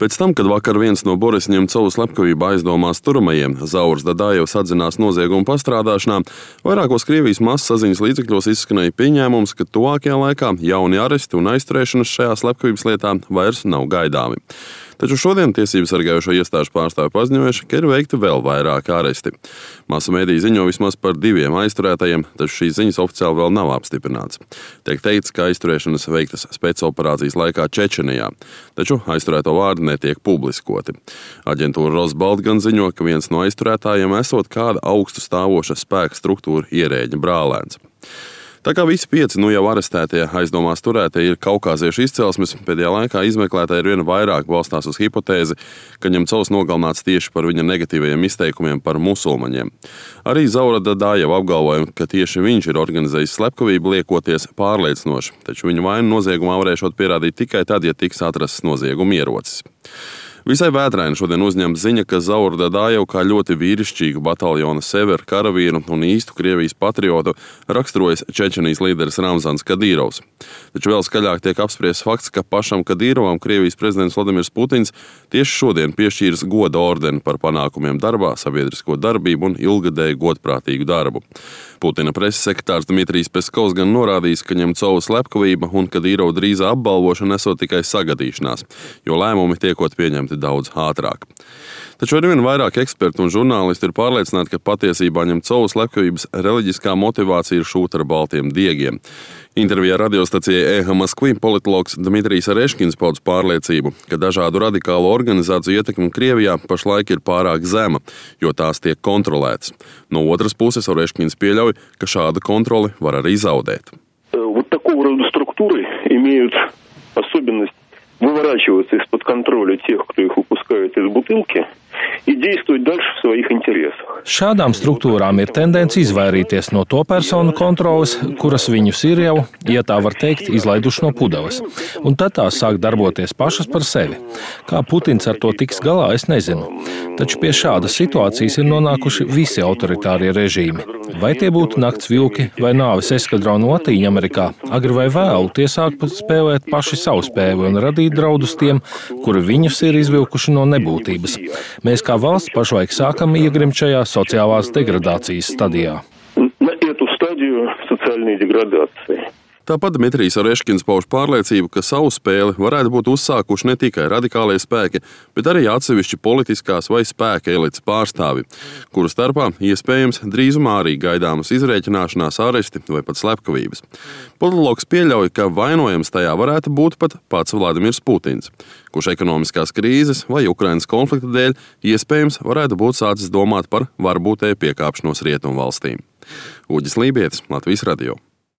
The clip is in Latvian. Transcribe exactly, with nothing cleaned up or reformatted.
Pēc tam, kad vakar viens no Borisa Ņemcova slepkavību aizdomās turamajiem, Zauras Dadājevs atzinās noziegumu pastrādāšanā, vairākos Krievijas massaziņas līdzekļos izskanēja pieņēmums, ka tuvākajā laikā jauni aresti un aizturēšanas šajā slepkavības lietā vairs nav gaidāmi. Taču šodien tiesību sargājošo iestāžu pārstāvi paziņojuši, ka ir veikti vēl vairāki aresti. Masu mēdīji ziņo vismaz par diviem aizturētajiem, taču šīs ziņas oficiāli vēl nav apstiprināts. Tiek teikts, ka aizturēšanas veiktas spēcoperācijas laikā Čečenijā, taču aizturēto vārdi netiek publiskoti. Aģentūra Rosbalt gan ziņo, ka viens no aizturētājiem esot kāda augstu stāvoša spēka struktūra ierēģa brālēns. Tā kā visi pieci nu jau arestētie aizdomās turētie ir kaukāziešu izcelsmes, pēdējā laikā izmeklētāji ar vien vairāk balstās uz hipotēzi, ka Ņemcovs nogalināts tieši par viņa negatīvajiem izteikumiem par musulmaņiem. Arī Zaura Dadājeva apgalvoja, ka tieši viņš ir organizējis slepkavību, liekoties pārliecinoši, taču viņa vainu noziegumā varēšot pierādīt tikai tad, ja tiks atrasts nozieguma ierocis. Visai vētraini šodien uzņem ziņa, ka Zaura Dadājeva kā ļoti vīrišķīgu bataljona Sever karavīru un īstu Krievijas patriotu raksturojas Čečenijas līderis Ramzans Kadīrovs. Taču vēl skaļāk tiek apspriests fakts, ka pašam Kadīrovam Krievijas prezidents Vladimirs Putins tieši šodien piešķīris goda ordeni par panākumiem darbā, sabiedrisko darbību un ilgadēju godprātīgu darbu. Putina preses sekretārs Dmitrijs Peskovs gan norādījis, ka Ņemcova slepkavība un Kadīrova drīzā apbalvošana esot tikai sagadīšanās, jo lēmumi tiekot pieņemti daudz ātrāk. Taču arvien vairāk eksperti un žurnālisti ir pārliecināti, ka patiesībā Ņemcova slepkavības reliģiskā motivācija ir šūta ar baltiem diegiem. Intervijā radiostacijai E H Moskvi politologs Dmitrijs Areškins pauda pārliecību, ka dažādu radikālu organizāciju ietekme Krievijā pašlaik ir pārāk zema, jo tās tiek kontrolētas. No otras puses Areškins pieļauj, ka šāda kontroli var arī zaudēt. Вот такого рода структуры имеют особенность выворачиваться из-под контроля тех, кто их выпускает из бутылки, и действовать дальше в своих интересах. Šādām struktūrām ir tendence izvairīties no to personu kontroles, kuras viņus ir jau, ja tā var teikt, izlaiduši no pudeles. Un tad tās sāk darboties pašas par sevi. Kā Putins ar to tiks galā, es nezinu. Taču pie šādas situācijas ir nonākuši visi autoritārie režīmi. Vai tie būtu nakts vilki vai nāves eskadronu Latīņamerikā, agri vai vēlu tie sāk spēlēt paši savu spēli un radīt draudus tiem, kuri viņus ir izvilkuši no nebūtības. Mēs kā valsts pašlaik sākam iegrimt šajā sociālās degradācijas stadijā. На эту стадию социальной деградации. Tāpat Dmitrijs Areškins pauž pārliecību, ka savu spēli varētu būt uzsākuši ne tikai radikālie spēki, bet arī atsevišķi politiskās vai spēka elites pārstāvi, kuru starpā iespējams drīzumā arī gaidāmas izrēķināšanās, aresti vai pat slepkavības. Politologs pieļauj, ka vainojams tajā varētu būt pat pats Vladimirs Putins, kurš ekonomiskās krīzes vai Ukrainas konflikta dēļ iespējams varētu būt sācis domāt par varbūtēju piekāpšanos rietumu valstīm. Uģis Lībietis, Latvijas radio.